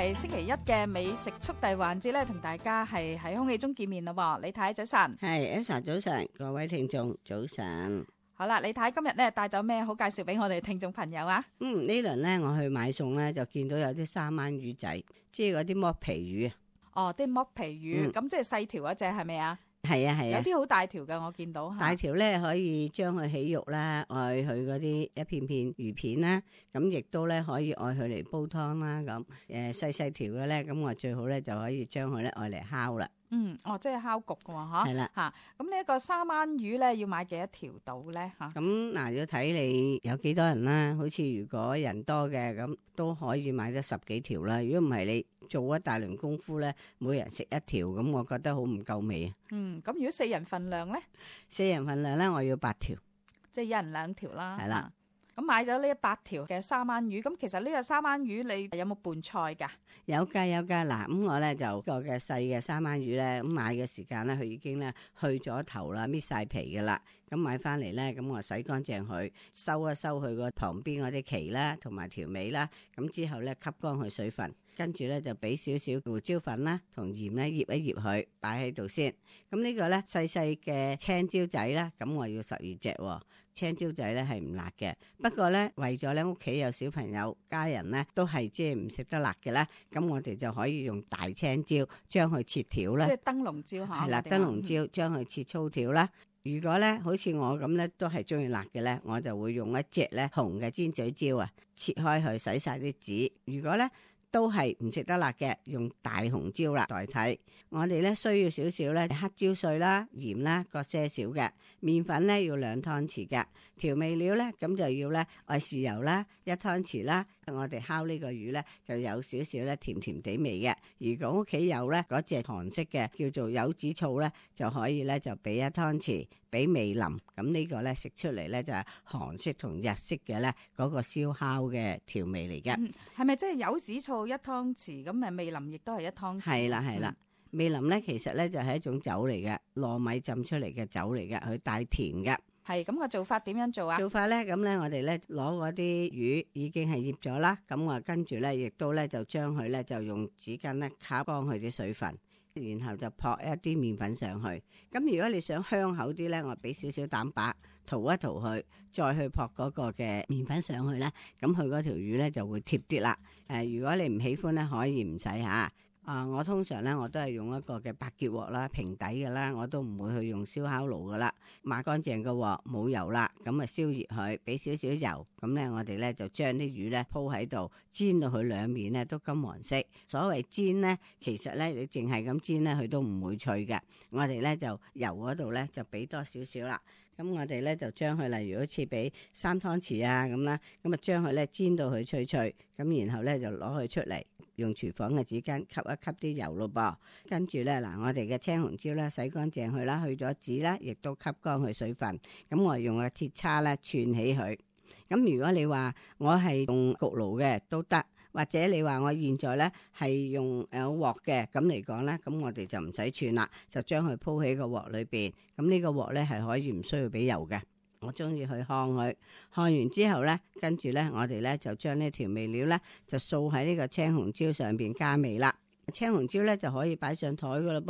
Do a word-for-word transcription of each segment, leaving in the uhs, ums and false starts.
係星期一嘅美食速遞環節咧，同大家係喺空氣中見面咯。李太早晨，係 Elsa 早晨，各位聽眾早晨。好啦，李太今日咧帶咗咩好介紹俾我哋聽眾朋友啊？嗯，呢輪咧我去買餸咧，就見到有啲三灣魚仔，即係嗰啲剝皮魚啊。哦，啲剝皮魚，咁、嗯、即係細條嗰隻係咪啊？係啊係啊，有啲好大條嘅，我見到。大條咧可以將佢起肉啦，愛佢嗰啲一片片魚片啦，咁亦都咧可以愛佢嚟煲湯啦。咁誒細細條嘅咧，咁我最好咧就可以將佢咧愛嚟烤啦。嗯，哦，即係烤焗嘅喎，嚇。係啦，嚇，咁呢一個三灣魚咧，要買幾多條到咧？嚇。咁嗱，要睇你有幾多人啦。好似如果人多嘅，咁都可以買咗十幾條啦。如果唔係你做一大輪功夫咧，每人食一條，咁我覺得好唔夠味啊。嗯，咁如果四人份量咧？四人份量咧，我要八條，即係一人兩條啦。係啦。咁買咗呢八條嘅三灣魚，咁其實呢個三灣魚你有冇拌菜㗎？有㗎有㗎。嗱，咁我咧就個嘅細嘅三灣魚咧，咁買嘅時間咧，佢已經咧去咗頭啦，搣晒皮㗎啦。咁買翻嚟咧，咁我洗乾淨佢，收一收佢個旁邊嗰啲鰭啦，同埋條尾啦。咁之後咧吸乾佢水分，跟住咧就俾少少胡椒粉啦，同鹽咧醃一醃佢，擺喺度先。咁呢個咧細細嘅青椒仔啦，咁我要十二隻喎。青椒仔咧係唔辣嘅，不過咧為咗咧屋企有小朋友家人咧都係即係唔食得辣嘅咧，咁我哋就可以用大青椒將佢切條啦，即係燈籠椒嚇，係啦，燈籠椒將佢切粗條啦。如果咧好似我咁咧都係中意辣嘅咧，我就會用一隻咧紅嘅尖嘴椒啊，切開佢洗晒啲籽。如果咧都係唔食得辣嘅，用大紅椒啦代替。我哋咧需要少少咧黑椒碎啦、鹽啦各些少嘅，麵粉咧要兩湯匙嘅，調味料咧咁就要咧愛豉油啦一湯匙啦。我哋烤呢個魚咧就有少少咧甜甜地味嘅。如果屋企有咧嗰隻韓式嘅叫做柚子醋咧，就可以咧就俾一湯匙，俾味淋。咁呢個咧食出嚟咧就係韓式同日式嘅咧嗰個燒烤嘅調味嚟嘅。係咪即係柚子醋一湯匙？咁誒味淋亦都係一湯匙。係啦係啦，味淋咧其實咧就係一種酒嚟嘅，糯米浸出嚟嘅酒嚟嘅，佢帶甜嘅。係咁個做法點樣做啊？做法咧咁咧，我哋咧攞嗰啲魚已經係醃咗啦，咁我跟住咧亦都咧就將佢咧就用紙巾咧擦乾佢啲水分，然後就撲一啲麵粉上去。咁如果你想香口啲咧，我俾少少蛋白塗一塗佢，再去撲嗰個嘅麵粉上去咧，咁佢嗰條魚咧就會貼啲啦。誒、呃，如果你唔喜歡咧，可以唔使吓。啊！我通常咧，我都係用一個嘅白潔鑊啦，平底嘅啦，我都唔會去用燒烤爐噶啦。抹乾淨個鑊，冇油啦，咁啊燒熱佢，俾少少油，咁咧我哋咧就將啲魚咧鋪喺度，煎到佢兩面咧都金黃色。所謂煎咧，其實咧你淨係咁煎咧，佢都唔會脆嘅。我哋咧就油嗰度咧就俾多少少啦。咁我哋咧就將佢例如好似俾三湯匙啊咁啦，咁啊將佢咧煎到佢脆脆，咁然後咧就攞佢出嚟，用廚房嘅紙巾吸一吸啲油咯噃。跟住咧嗱，我哋嘅青紅椒咧洗乾淨佢啦，去咗籽啦，亦都吸乾佢水分。咁我用個鐵叉咧串起佢。咁如果你話我係用焗爐嘅都得，或者你話我現在咧係用誒鑊嘅，咁嚟講咧，咁我哋就唔使串啦，就將佢鋪喺個鑊裏邊。咁呢個鑊咧係可以唔需要俾油嘅。我中意去烘佢，烘完之後咧，跟住咧我哋咧就將呢調味料咧就掃喺呢個青紅椒上邊加味啦。青紅椒咧就可以擺上台噶啦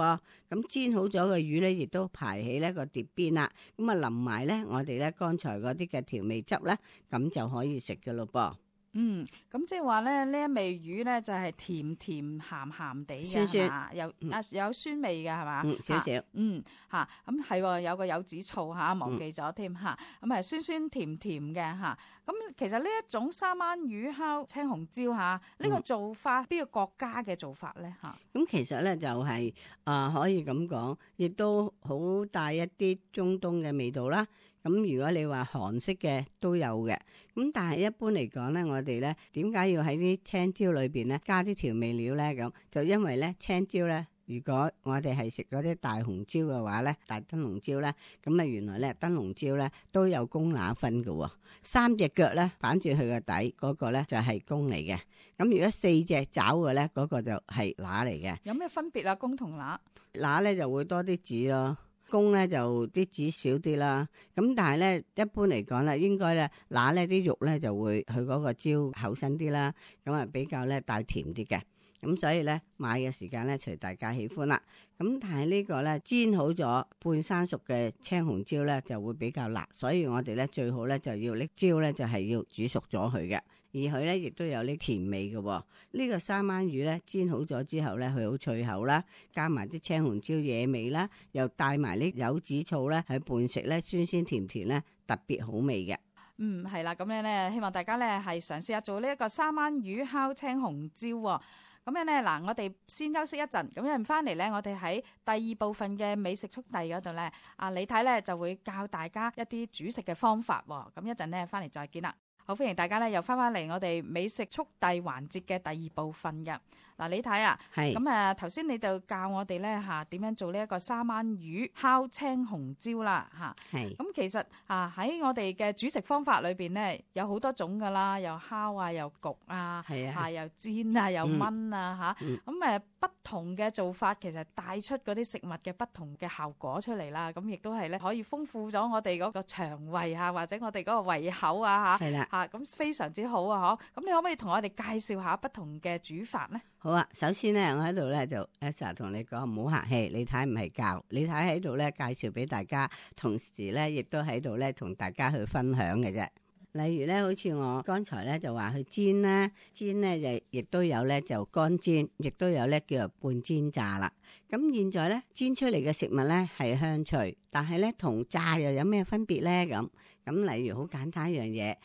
噃，咁煎好咗嘅魚咧亦都排起呢個碟邊啦，咁啊淋埋咧我哋咧剛才嗰啲嘅調味汁咧，咁就可以食噶咯噃。嗯，咁即係話咧呢一味魚咧就係甜甜鹹鹹地嘅，酸酸係嘛？有啊有酸味嘅係嘛？嗯，少少。嗯吓，咁係有個柚子醋吓，忘記咗添吓，咁係酸酸甜甜嘅吓。咁其實呢一種三灣魚烤青紅椒吓，呢個做法邊個國家嘅做法咧吓？咁其實咧就係啊可以咁講，亦都好帶一啲中東嘅味道啦。咁如果你話韓式嘅都有嘅，咁但係一般嚟講咧，我哋咧點解要喺啲青椒裏邊咧加啲調味料咧？咁就因為咧青椒咧，如果我哋係食嗰啲大紅椒嘅話咧，大燈籠椒咧，咁啊原來咧燈籠椒咧都有公乸分嘅，三隻腳咧反住佢個底嗰個咧就係公嚟嘅，咁如果四隻爪嘅咧嗰個就係乸嚟嘅。有咩分別啊？公同乸？乸咧就會多啲籽咯。公咧就啲籽少啲啦，咁但係咧一般嚟講咧，應該咧乸咧啲肉咧就會佢嗰個椒厚身啲啦，咁啊比較咧帶甜啲嘅。咁所以咧買嘅時間咧隨大家喜歡啦。咁但係呢個咧煎好咗半生熟嘅青紅椒咧就會比較辣，所以我哋咧最好咧就要拎椒咧就係要煮熟咗佢嘅，而佢咧亦都有啲甜味嘅。呢個三文魚咧煎好咗之後咧佢好脆口啦，加埋啲青紅椒惹味啦，又帶埋啲柚子醋咧去拌食咧酸酸甜甜咧特別好味嘅。嗯，係啦，咁樣咧希望大家咧係嘗試下做呢一個三文魚烤青紅椒喎。咁樣咧，嗱，我哋先休息一陣，咁樣翻嚟咧，我哋喺第二部分嘅美食速遞嗰度咧，阿李太咧就會教大家一啲煮食嘅方法喎。咁一陣咧翻嚟再見啦。好，歡迎大家咧又翻返嚟我哋美食速遞環節嘅第二部分嘅。嗱，李太啊，係咁啊頭先你就教我哋咧嚇點樣做呢一個三文魚烤青紅椒啦嚇。係。咁其實啊喺我哋嘅煮食方法裏邊咧有好多種噶啦，又烤啊，又焗啊，係啊，啊又煎啊，又燜啊嚇。咁誒不同嘅做法其實帶出嗰啲食物嘅不同嘅效果出嚟啦。咁亦都係咧可以豐富咗我哋嗰個腸胃啊，或者我哋嗰個胃口啊嚇。係啦。嚇咁非常之好啊！嗬，咁你可唔可以同我哋介紹下不同嘅煮法咧？好啊，首先咧，我喺度咧就 Elsa 同你講唔好客氣，李太唔係教，李太喺度咧介紹俾大家，同時咧亦都喺度咧同大家去分享嘅啫。例如咧，好似我剛才咧就話去煎啦，煎咧就亦都有咧就乾煎，亦都有咧叫做半煎炸啦。咁現在咧煎出嚟嘅食物咧係香脆，但係咧同炸又有咩分別咧？咁咁例如好簡單一樣嘢。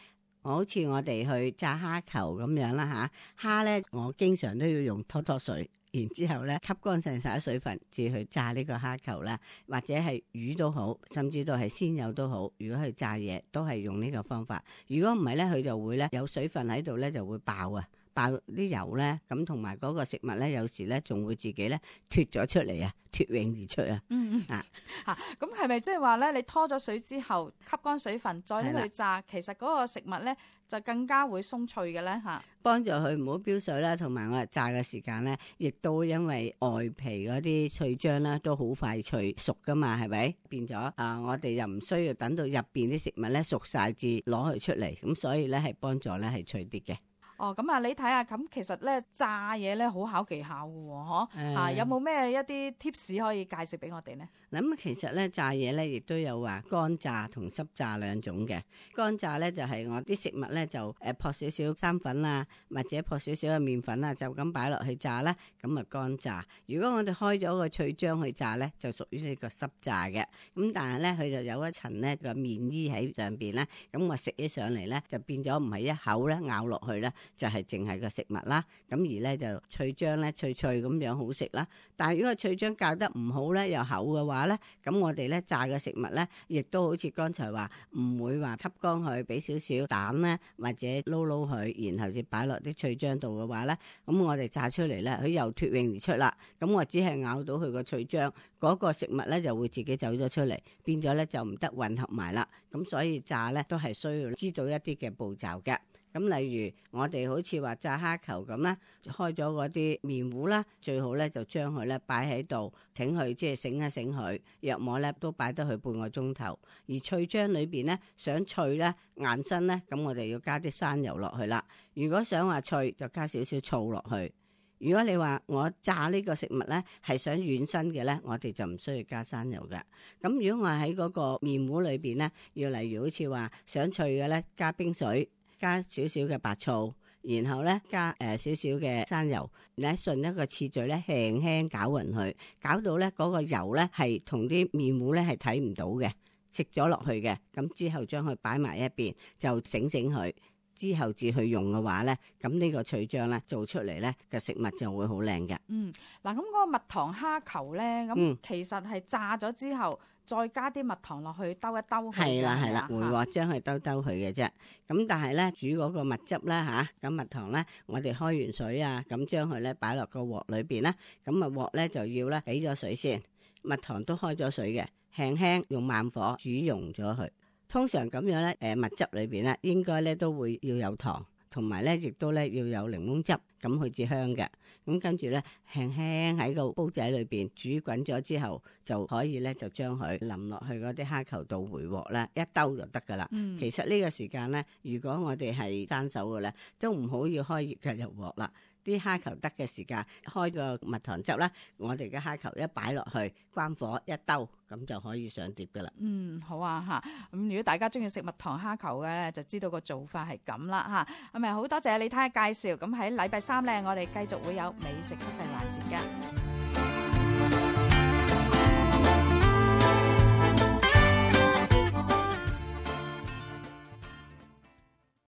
好似我哋去炸蝦球咁樣啦吓，蝦咧我經常都要用拖拖水，然之後咧吸乾淨晒水分，至去炸呢個蝦球啦，或者係魚都好，甚至到係鮮魷都好。如果去炸嘢，都係用呢個方法。如果唔係咧，佢就會咧有水分喺度咧，就會爆啊！爆啲油咧，咁同埋嗰個食物咧，有時咧仲會自己咧脫咗出嚟啊，脫穎而出啊。嗯嗯啊嚇，咁係咪即係話咧？你拖咗水之後吸乾水分，再拎去炸，其實嗰個食物咧就更加會鬆脆嘅咧嚇。幫助佢唔好飆水啦，同埋我哋炸嘅時間咧，亦都因為外皮嗰啲脆漿啦，都好快脆熟噶嘛，係咪？變咗啊、呃，我哋又唔需要等到入邊啲食物咧熟晒至攞佢出嚟，咁所以咧係幫助咧係脆啲嘅。哦，咁啊，你睇下，咁其實咧炸嘢咧好考技巧嘅喎，嗬、嗯，啊，有冇咩一啲 tips 可以介紹俾我哋呢？咁其實咧炸嘢咧亦都有話乾炸同濕炸兩種嘅。乾炸咧就係、是、我啲食物咧就誒撲少少生粉啊，或者撲少少嘅麵粉啊，就咁擺落去炸啦，咁啊乾炸。如果我哋開咗個脆漿去炸咧，就屬於呢個濕炸嘅。咁但係咧佢就有一層咧個麵衣喺上邊咧，咁我食起上嚟咧就變咗唔係一口咧咬落去咧，就係淨係個食物啦。咁而咧就脆漿咧脆脆咁樣好食啦。但係如果脆漿教得唔好咧，又厚嘅話，咁我哋咧炸嘅食物咧，亦都好似剛才話唔會話吸乾佢，俾少少蛋咧，或者撈撈佢，然後先擺落啲脆漿度嘅話咧，咁我哋炸出嚟咧，佢又脫穎而出啦。咁我只係咬到佢個脆漿，嗰個食物咧就會自己走咗出嚟，變咗咧就唔得混合埋啦。咁所以炸咧都係需要知道一啲嘅步驟嘅。咁例如我哋好似話炸蝦球咁啦，開咗嗰啲麵糊啦，最好咧就將佢咧擺喺度，挺佢即係醒一醒佢，約莫咧都擺得佢半個鐘頭。而脆漿裏邊咧想脆咧硬身咧，咁我哋要加啲生油落去啦。如果想話脆，就加少少醋落去。如果你話我炸呢個食物咧係想軟身嘅咧，我哋就唔需要加生油嘅。咁如果我喺嗰個麵糊裏邊咧，要例如好似話想脆嘅咧，加冰水。加少少嘅白醋，然後咧加誒、呃、少少嘅生油，你順一個次序咧輕輕攪勻佢，搞到咧嗰個油咧係同啲麵糊咧係睇唔到嘅，食咗落去嘅。咁之後將佢擺埋一邊，就醒醒佢，之後至去用嘅話咧，咁呢個脆漿咧做出嚟咧嘅食物就會好靚嘅。嗯，嗱咁嗰個蜜糖蝦球咧，咁其實係炸咗之後。嗯再加啲蜜糖落去兜一兜佢，係啦係啦，回鑊將佢兜兜佢嘅啫。咁但係咧煮嗰個蜜汁咧吓，咁蜜糖咧，我哋開完水啊，咁將佢咧擺落個鑊裏邊啦。咁啊鑊咧就要咧俾咗水先，蜜糖都開咗水嘅，輕輕用慢火煮溶咗佢。通常咁樣咧，誒蜜汁裏邊咧應該咧都會要有糖，同埋咧亦都咧要有檸檬汁。咁佢至香嘅。咁跟住咧，輕輕喺個煲仔裏邊煮滾咗之後，就可以咧就將佢淋落去嗰啲蝦球度回鑊咧，一兜就得噶啦。嗯、其實呢個時間咧，如果我哋係生手嘅咧，都唔好要開熱嘅入鑊啦。啲蝦球得嘅時間，開個蜜糖汁啦，我哋嘅蝦球一擺落去，關火一兜，咁就可以上碟噶啦。嗯，好啊嚇。咁如果大家中意食蜜糖蝦球嘅咧，就知道個做法係咁啦嚇。咁咪好多謝你睇下介紹。咁喺禮拜三咧，我哋繼續會有美食速遞環節㗎。